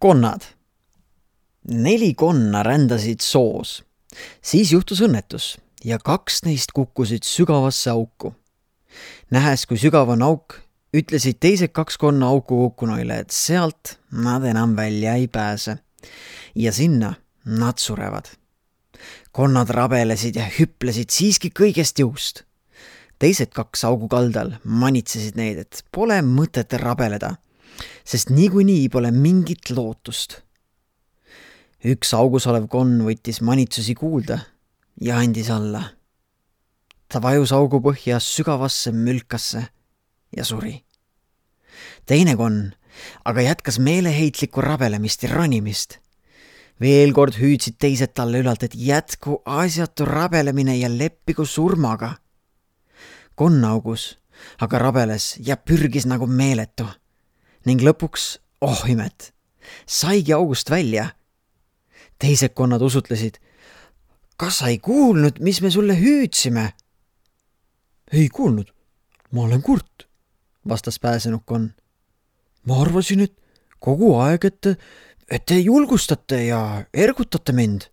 Konnad. 4 konna rändasid soos. Siis juhtus õnnetus ja 2 neist kukkusid sügavasse auku. Nähes, kui sügav on auk, ütlesid teised 2 konna auku kukkunuile, et sealt nad enam välja ei pääse. Ja sinna nad surevad. Konnad rabelesid ja hüplesid siiski kõigest jõust. Teised 2 augu kaldal manitsesid neid, et pole mõtet rabeleda, sest niikuinii pole mingit lootust. Üks augus olev konn võttis manitsusi kuulda ja andis alla. Ta vajus augu põhja sügavasse mülkasse ja suri. Teine konn aga jätkas meeleheitlikku rabelemist ja ranimist. Veel kord hüüdsid teised talle ülalt, et jätku asjatu rabelemine ja leppigu surmaga. Konn augus aga rabeles ja pürgis nagu meeletu ning lõpuks, imet, saigi august välja. Teised konnad usutlesid, kas sa ei kuulnud, mis me sulle hüüdsime? Ei kuulnud, ma olen kurt, vastas pääsenud konn. Ma arvasin, et kogu aeg, et te julgustate ja ergutate mind.